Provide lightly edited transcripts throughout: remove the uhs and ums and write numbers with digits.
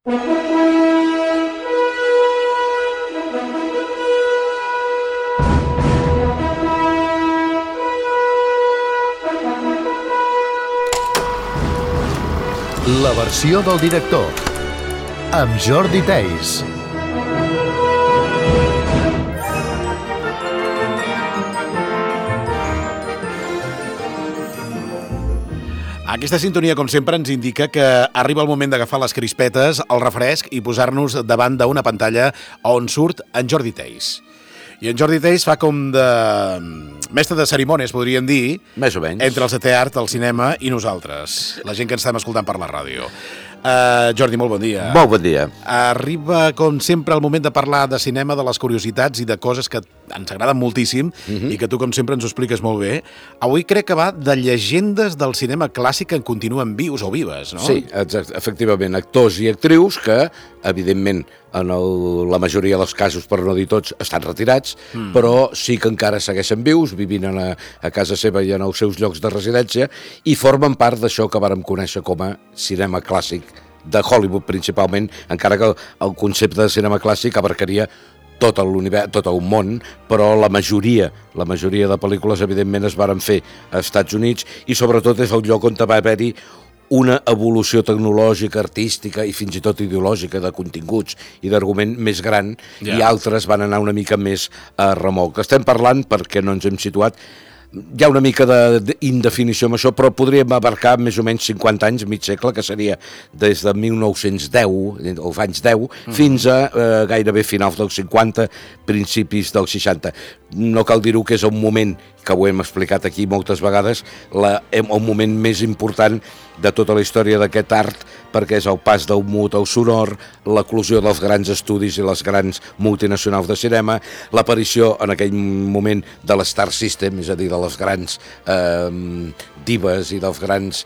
La versió del director, amb Jordi Theis. Aquesta sintonia, com sempre, ens indica que arriba el moment d'agafar les crispetes, el refresc i posar-nos davant d'una pantalla on surt en Jordi Theis. I en Jordi Theis fa com de mestre de cerimònies, podríem dir, més o menys, entre el setè art, el cinema i nosaltres, la gent que ens estem escoltant per la ràdio. Jordi, molt bon dia. Molt bon dia. Arriba, com sempre, el moment de parlar de cinema, de les curiositats i de coses que ens agraden moltíssim i que tu, com sempre, ens ho expliques molt bé. Avui crec que va de llegendes del cinema clàssic que en continuen vius o vives, no? Sí, efectivament, actors i actrius que, evidentment, en la majoria dels casos, per no dir tots, estan retirats, però sí que encara segueixen vius, vivint a casa seva i en els seus llocs de residència, i formen part d'això que vàrem conèixer com a cinema clàssic de Hollywood, principalment, encara que el concepte de cinema clàssic abarcaria tot l'univers, tot el món, però la majoria de pel·lícules, evidentment, es varen fer als Estats Units, i sobretot és el lloc on va haver-hi una evolució tecnològica, artística i fins i tot ideològica de continguts i d'argument més gran, i altres van anar una mica més a remolc. Estem parlant, perquè no ens hem situat, hi ha una mica d'indefinició amb això, però podríem abarcar més o menys 50 anys, mig segle, que seria des de 1910, els anys 10, fins a gairebé finals dels 50, principis dels 60. No cal dir-ho que és un moment, que ho hem explicat aquí moltes vegades, el moment més important de tota la història d'aquest art, perquè és el pas del mut al sonor, l'eclosió dels grans estudis i les grans multinacionals de cinema, l'aparició en aquell moment de l'Star System, és a dir, de les grans divas i dels grans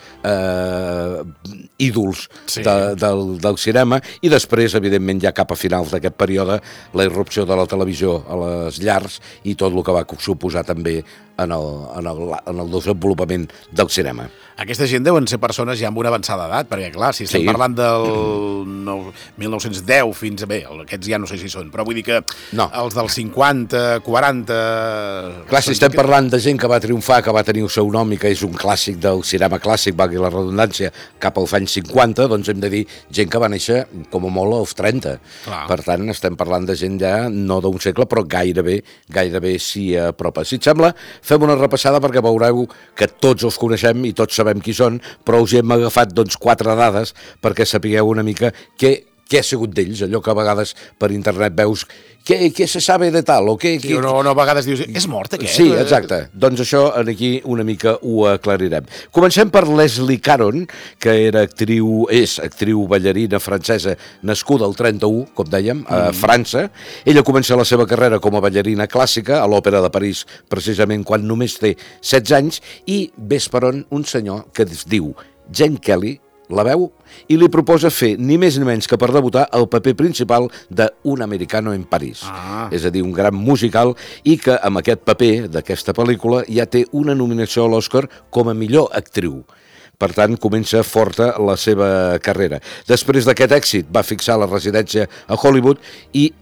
ídols del cinema, i després, evidentment, ja cap a finals d'aquest període, la irrupció de la televisió a les llars i tot el que va suposar també en el desenvolupament del cinema. Aquesta gent deuen ser persones ja amb una avançada edat, perquè, clar, si estem parlant del 1910 fins a... Bé, aquests ja no sé si són, però vull dir que els dels 50, 40... Clar, si estem parlant de gent que va triomfar, que va tenir el seu nom i que és un clàssic del cinema clàssic, valgui la redundància, cap als anys 50, doncs hem de dir gent que va néixer, com a molt, als 30. Clar. Per tant, estem parlant de gent ja no d'un segle, però gairebé s'hi apropa. Si et sembla, fem una repassada perquè veureu que tots els coneixem i tots sabem qui són, però us hem agafat 4 dades perquè sapigueu una mica què ha sigut d'ells, allò que a vegades per internet veus què se sabe de tal, o què... Sí, no, a vegades dius, és mort aquest? Sí, exacte. Doncs això aquí una mica ho aclarirem. Comencem per Leslie Caron, que és actriu ballarina francesa nascuda al 31, com dèiem, a França. Ella comença la seva carrera com a ballarina clàssica a l'Òpera de París, precisament quan només té 16 anys, i ves per on un senyor que es diu Gene Kelly la veu i li proposa fer ni més ni menys que per debutar el paper principal d'Un americano en París. És a dir, un gran musical, i que amb aquest paper d'aquesta pel·lícula ja té una nominació a l'Oscar com a millor actriu. Per tant, comença forta la seva carrera. Després d'aquest èxit va fixar la residència a Hollywood i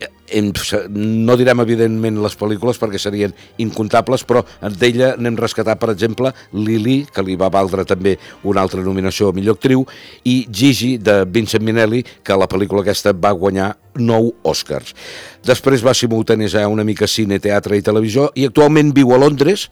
no direm evidentment les pel·lícules perquè serien incontables, però d'ella n'hem rescatat, per exemple, Lili, que li va valdre també una altra nominació a millor actriu, i Gigi, de Vincent Minnelli, que la pel·lícula aquesta va guanyar 9 Oscars. Després va simultanejar una mica cine, teatre i televisió, i actualment viu a Londres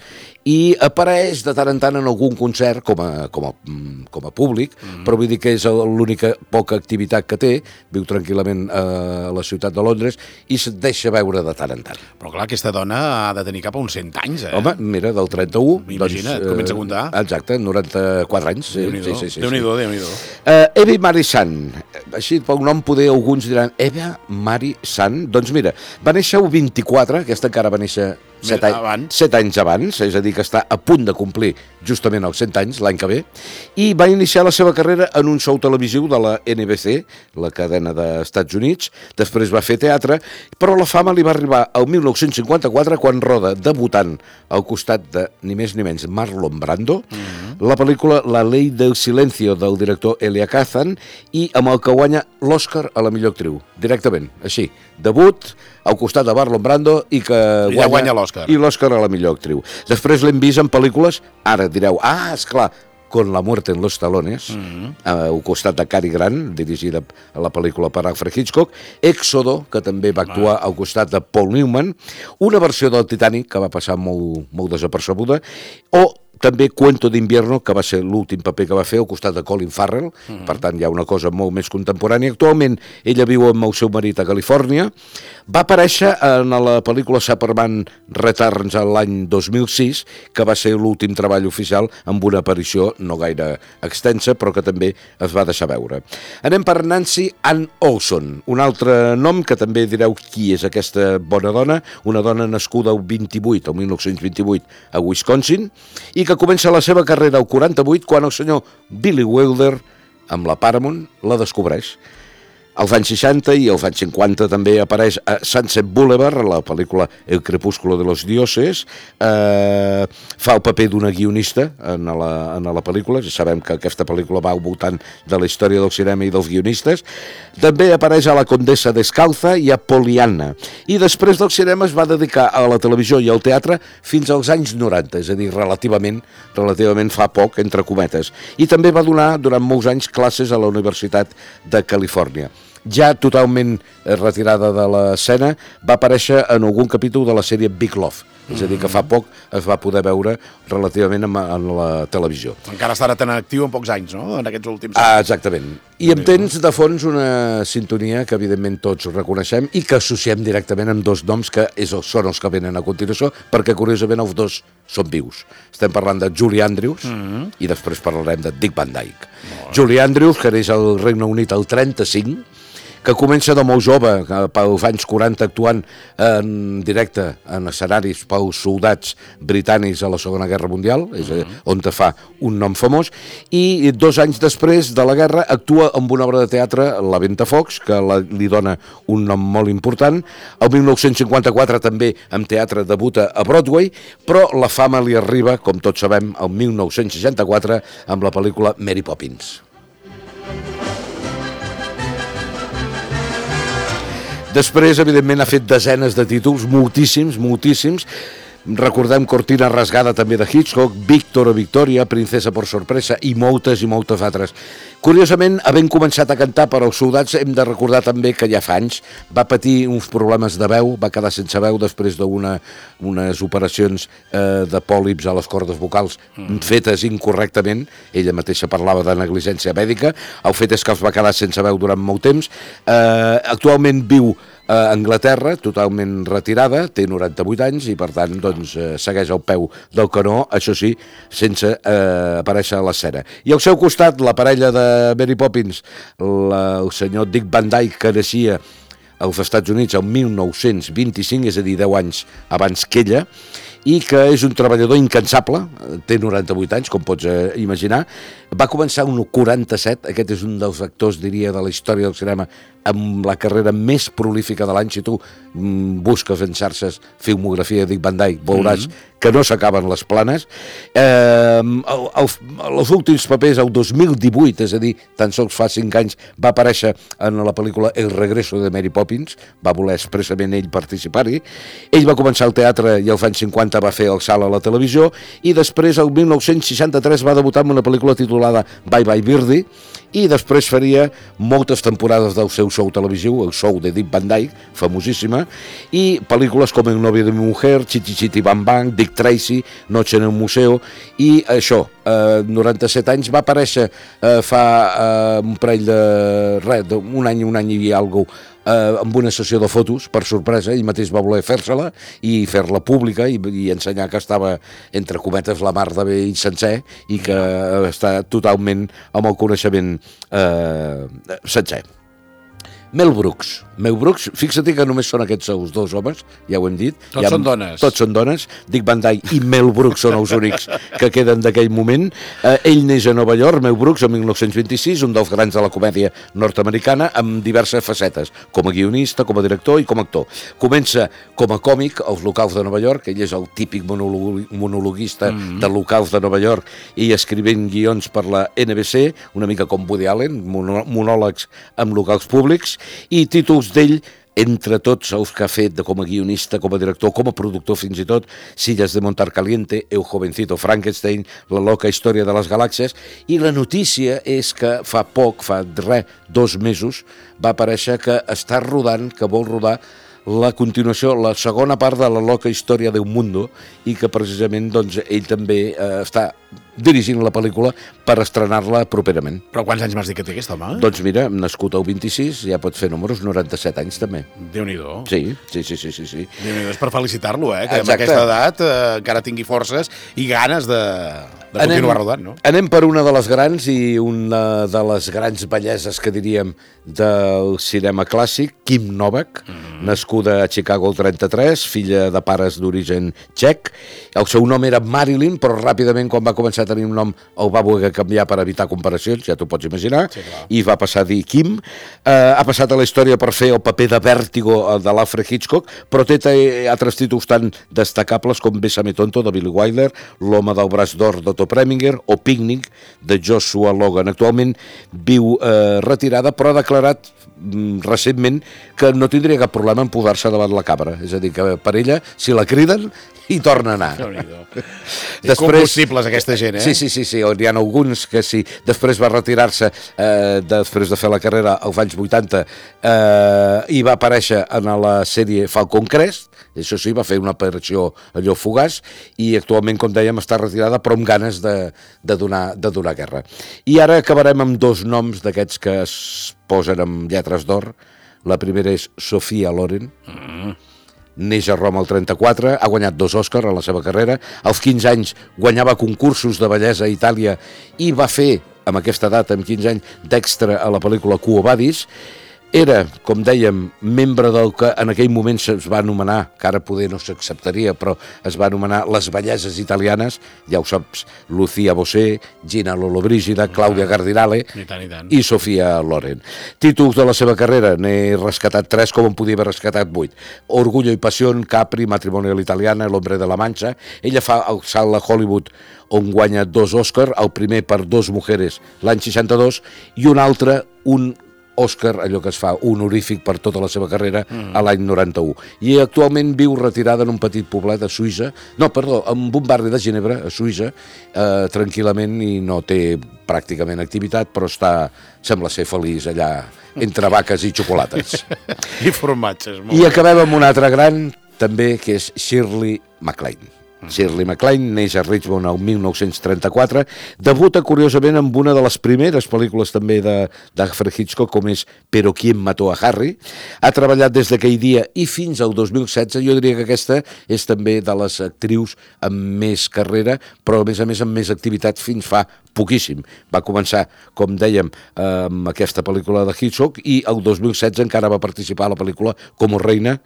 i apareix de tant en tant en algun concert com a públic, però vull dir que és l'única poca activitat que té, viu tranquil·lament a la ciutat de Londres i se't deixa veure de tant en tant. Però clar, aquesta dona ha de tenir cap a uns 100 anys, eh? Home, mira, del 31... Imagina't, comença a comptar. Exacte, 94 anys. Déu-n'hi-do. Evi Marisan, així pel nom poder alguns diran Eva Mari San, doncs mira, va néixer el 24, aquesta encara va néixer 7 anys abans, és a dir, que està a punt de complir justament els 100 anys, l'any que ve, i va iniciar la seva carrera en un show televisiu de la NBC, la cadena dels Estats Units, després va fer teatre, però la fama li va arribar al 1954 quan roda debutant al costat de ni més ni menys Marlon Brando, la pel·lícula La ley del silencio del director Elia Kazan i amb el que guanya l'Oscar a la millor actriu, directament, així, debut al costat de Marlon Brando i que guanya l'Oscar. I l'Oscar a la millor actriu. Després l'hem vist en pel·lícules, ara direu, esclar, Con la muerte en los talones, al costat de Cary Grant, dirigida a la pel·lícula per Alfred Hitchcock, Éxodo, que també va actuar al costat de Paul Newman, una versió del Titanic, que va passar molt desapercebuda, o també Cuento d'Invierno, que va ser l'últim paper que va fer al costat de Colin Farrell, per tant hi ha una cosa molt més contemporània. Actualment ella viu amb el seu marit a Califòrnia, va aparèixer en la pel·lícula Superman Returns l'any 2006, que va ser l'últim treball oficial amb una aparició no gaire extensa, però que també es va deixar veure. Anem per Nancy Ann Olson, un altre nom que també direu qui és aquesta bona dona, una dona nascuda el 1928 a Wisconsin, i que comença la seva carrera al 48 quan el senyor Billy Wilder, amb la Paramount, la descobreix. Als anys 60 i als anys 50 també apareix a Sunset Boulevard, la pel·lícula El crepúsculo de los dioses, fa el paper d'una guionista en la pel·lícula, ja sabem que aquesta pel·lícula va al voltant de la història del cinema i dels guionistes. També apareix a La condessa descalza i a Poliana, i després del cinema es va dedicar a la televisió i al teatre fins als anys 90, és a dir, relativament fa poc, entre cometes, i també va donar durant molts anys classes a la Universitat de Califòrnia. Ja totalment retirada de l'escena, va aparèixer en algun capítol de la sèrie Big Love, és a dir, que fa poc es va poder veure relativament en la televisió. Encara estarà tan actiu en pocs anys, no?, en aquests últims anys. Exactament. I em tens de fons una sintonia que evidentment tots reconeixem i que associem directament amb dos noms que són els que venen a continuació, perquè curiosament els dos són vius. Estem parlant de Julie Andrews i després parlarem de Dick Van Dyke. Julie Andrews, que neix al Regne Unit el 35, que comença de molt jove, pels anys 40, actuant en directe en escenaris pels soldats britànics a la Segona Guerra Mundial, és on te fa un nom famós, i 2 anys després de la guerra actua amb una obra de teatre, La Ventafocs, que li dona un nom molt important. El 1954 també amb teatre debuta a Broadway, però la fama li arriba, com tots sabem, el 1964 amb la pel·lícula Mary Poppins. Després, evidentment, ha fet desenes de títols, moltíssims. Recordem Cortina rasgada també de Hitchcock, Víctor o Victoria, Princesa por sorpresa i moltes altres. Curiosament, havent començat a cantar per als soldats, hem de recordar també que ja fa anys va patir uns problemes de veu, va quedar sense veu després d'unes operacions de pòlips a les cordes vocals fetes incorrectament. Ella mateixa parlava de negligència mèdica. El fet és que els va quedar sense veu durant molt temps. Actualment viu a Anglaterra, totalment retirada, té 98 anys i per tant segueix al peu del canó, això sí, sense aparèixer a l'escena. I al seu costat, la parella de Mary Poppins, el senyor Dick Van Dyke, que naixia als Estats Units el 1925, és a dir, 10 anys abans que ella, i que és un treballador incansable, té 98 anys, com pots imaginar, va començar un 47, aquest és un dels actors, diria, de la història del cinema amb la carrera més prolífica de l'any. Si tu busques en xarxes filmografia de Dick Van Dyke, veuràs que no s'acaben les planes. Els últims papers, el 2018, és a dir, tan sols fa 5 anys, va aparèixer en la pel·lícula El regreso de Mary Poppins, va voler expressament ell participar-hi. Ell va començar al teatre i als anys 50 va fer el salt a la televisió, i després, el 1963, va debutar en una pel·lícula titulada Bye Bye Birdie, i després faria moltes temporades del seu show televisiu, el show de Dick Van Dyke, famosíssima, i pel·lícules com El novio de mi mujer, Chitty Chitty Bang Bang, Dick Tracy, Noche en el museo, i això, 97 anys, va aparèixer fa un parell un any i alguna cosa, amb una sessió de fotos, per sorpresa. Ell mateix va voler fer-se-la i fer-la pública i ensenyar que estava, entre cometes, la mar de bé i sencer, i que està totalment amb el coneixement sencer. Mel Brooks. Mel Brooks, fixa't que només són aquests els dos homes, ja ho hem dit. Tots són dones. Tots són dones. Dick Van Dyke i Mel Brooks són els únics que queden d'aquell moment. Ell neix a Nova York, Mel Brooks, en 1926, un dels grans de la comèdia nord-americana, amb diverses facetes, com a guionista, com a director i com a actor. Comença com a còmic als locals de Nova York, ell és el típic monologuista de locals de Nova York i escrivint guions per la NBC, una mica com Woody Allen, monòlegs amb locals públics, i títols d'ell, entre tots els que ha fet com a guionista, com a director, com a productor fins i tot, Sillas de Montar Caliente, El jovencito Frankenstein, La loca història de les galàxies, i la notícia és que fa 2 mesos, va aparèixer que està rodant, que vol rodar la continuació, la segona part de La loca història d'un mundo, i que precisament doncs, ell també està dirigint la pel·lícula per estrenar-la properament. Però quants anys m'has dit que té aquest home? Doncs mira, nascut al 26, ja pot fer números, 97 anys també. Déu-n'hi-do. Sí. Déu-n'hi-do, és per felicitar-lo, que Exacte. amb aquesta edat encara tingui forces i ganes de continuar rodant, no? Anem per una de les grans i una de les grans belleses que diríem del cinema clàssic, Kim Novak, nascuda a Chicago el 33, filla de pares d'origen txec. El seu nom era Marilyn, però ràpidament quan va començar a tenir un nom el va voler canviar per evitar comparacions, ja t'ho pots imaginar, Sí, clar. i va passar a dir Kim. Ha passat a la història per fer el paper de Vértigo de l'Alfred Hitchcock, però té altres títols tan destacables com Bésame tonto, de Billy Wilder, L'home del braç d'or, d'Otto Preminger, o Picnic, de Joshua Logan. Actualment viu retirada, però ha declarat recentment que no tindria cap problema en posar-se davant la càmera. És a dir, que per ella, si la criden, hi torna a anar. És combustibles, aquesta gent, Sí, hi ha alguns que sí. Després va retirar-se, després de fer la carrera als anys 80, i va aparèixer en la sèrie Falcon Crest, això sí, va fer una aparició allò fugaç, i actualment, com dèiem, està retirada, però amb ganes de donar guerra. I ara acabarem amb 2 noms d'aquests que es posen amb lletres d'or. La primera és Sofia Loren, neix a Roma el 34, ha guanyat 2 Òscars a la seva carrera, als 15 anys guanyava concursos de bellesa a Itàlia i va fer, amb aquesta edat, amb 15 anys, d'extra a la pel·lícula Quo Vadis. Era, com dèiem, membre del que en aquell moment es va anomenar, que ara poder no s'acceptaria, però es va anomenar les belleses italianes, ja ho saps, Lucia Bosé, Gina Lollobrigida, Claudia Cardinale i Sofia Loren. Títols de la seva carrera, n'he rescatat 3, com en podia haver rescatat 8. Orgullo y pasión, Capri, Matrimonio a l'italiana, El hombre de la Mancha. Ella fa el salt a Hollywood, on guanya 2 Òscars, el primer per 2 mujeres l'any 62 i un altre, un Òscar, allò que es fa honorífic per tota la seva carrera, a l'any 91. I actualment viu retirada en un petit poblet a Suïssa, en un barri de Ginebra, a Suïssa, tranquil·lament, i no té pràcticament activitat, però sembla ser feliç allà entre vaques i xocolates. I formatges. I acabem amb una altra gran, també, que és Shirley MacLaine. Shirley MacLaine neix a Richmond el 1934, debuta curiosament amb una de les primeres pel·lícules també d'Alfred Hitchcock, com és Pero quién mató a Harry. Ha treballat des d'aquell dia i fins al 2016, jo diria que aquesta és també de les actrius amb més carrera, però a més amb més activitat fins fa poquíssim. Va començar, com dèiem, amb aquesta pel·lícula de Hitchcock i el 2016 encara va participar a la pel·lícula Como reines,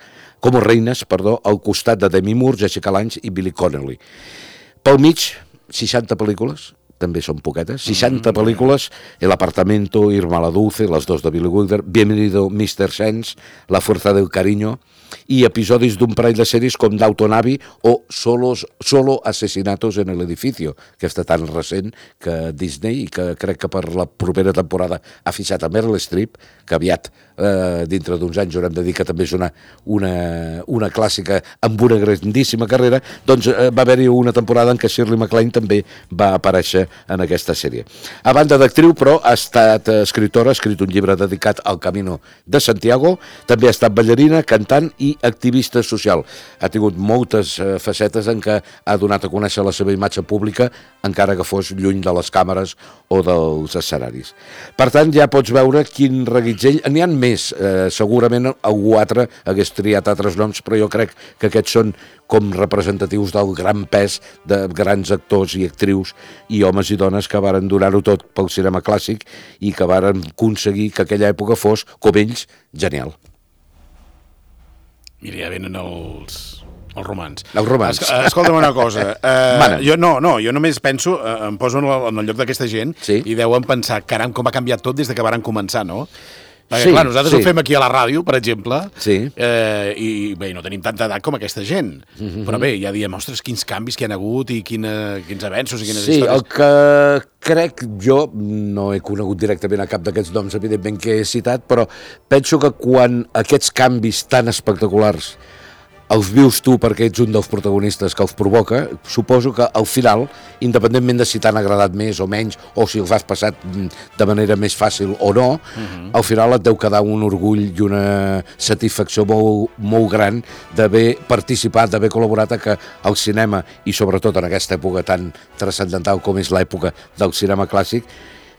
al costat de Demi Moore, Jessica Lange i Billy Connolly. Pel mig, 60 pel·lícules, també són poquetes, 60 pel·lícules, El apartamento, Irma la Dulce, les 2 de Billy Wilder, Bienvenido Mr. Sense, La fuerza del cariño, i episodis d'un parell de sèries com Downton Abbey o Solo asesinatos en el edificio, que està tan recent que Disney, i que crec que per la propera temporada ha fixat a Meryl Streep, que aviat, dintre d'uns anys, haurem de dir que també és una clàssica amb una grandíssima carrera. Doncs va haver-hi una temporada en què Shirley MacLaine també va aparèixer en aquesta sèrie. A banda d'actriu, però, ha estat escriptora, ha escrit un llibre dedicat al Camino de Santiago, també ha estat ballarina, cantant i activista social. Ha tingut moltes facetes en què ha donat a conèixer la seva imatge pública, encara que fos lluny de les càmeres o dels escenaris. Per tant, ja pots veure quin reguitzell. N'hi ha més, segurament algú altre hagués triat altres noms, però jo crec que aquests són com representatius del gran pes de grans actors i actrius i homes homes i dones que varen donar-ho tot pel cinema clàssic i que varen aconseguir que aquella època fos, com ells, genial. Mira, ja venen els romans. Els romans. Escolta'm una cosa. Jo només penso, em poso en el lloc d'aquesta gent i deuen pensar, caram, com ha canviat tot des de que varen començar, no? Perquè, clar, nosaltres ho fem aquí a la ràdio, per exemple, i bé, no tenim tanta edat com aquesta gent. Però bé, ja diem, ostres, quins canvis que hi ha hagut i quins avenços i quines històries. Sí, el que crec, jo no he conegut directament a cap d'aquests noms, evidentment, que he citat, però penso que quan aquests canvis tan espectaculars els vius tu perquè ets un dels protagonistes que els provoca, suposo que al final, independentment de si t'han agradat més o menys, o si els has passat de manera més fàcil o no, al final et deu quedar un orgull i una satisfacció molt, molt gran d'haver participat, d'haver col·laborat a que el cinema, i sobretot en aquesta època tan transcendental com és l'època del cinema clàssic,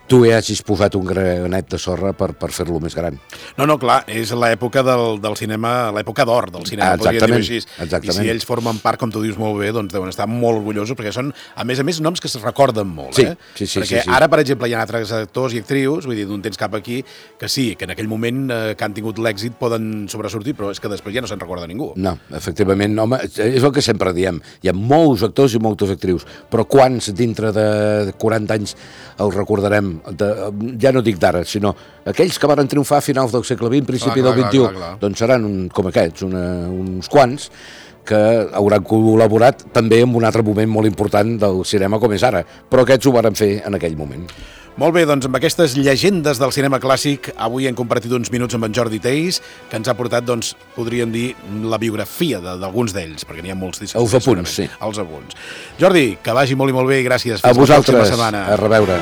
tu hi hagis posat un granet de sorra per fer-lo més gran. No, clar, és l'època del cinema, l'època d'or del cinema, podríem dir-ho així. Exactament. I si ells formen part, com tu dius molt bé, doncs deuen estar molt orgullosos, perquè són, a més, noms que es recorden molt, Sí. Perquè ara, per exemple, hi ha altres actors i actrius, vull dir, d'un temps cap aquí, que sí, que en aquell moment que han tingut l'èxit poden sobresortir, però és que després ja no se'n recorda ningú. No, efectivament, home, és el que sempre diem. Hi ha molts actors i moltes actrius, però quants dintre de 40 anys els recordarem? Ja no dic d'ara, sinó aquells que van triomfar a finals del segle XX, principi del XXI, doncs seran com aquests, uns quants que hauran col·laborat també en un altre moment molt important del cinema com és ara, però aquests ho van fer en aquell moment. Molt bé, doncs amb aquestes llegendes del cinema clàssic avui hem compartit uns minuts amb en Jordi Theis, que ens ha portat, doncs, podríem dir, la biografia d'alguns d'ells, perquè n'hi ha molts. Els apunts, sí. Els apunts. Jordi, que vagi molt i molt bé i gràcies. Fins a vosaltres, a reveure.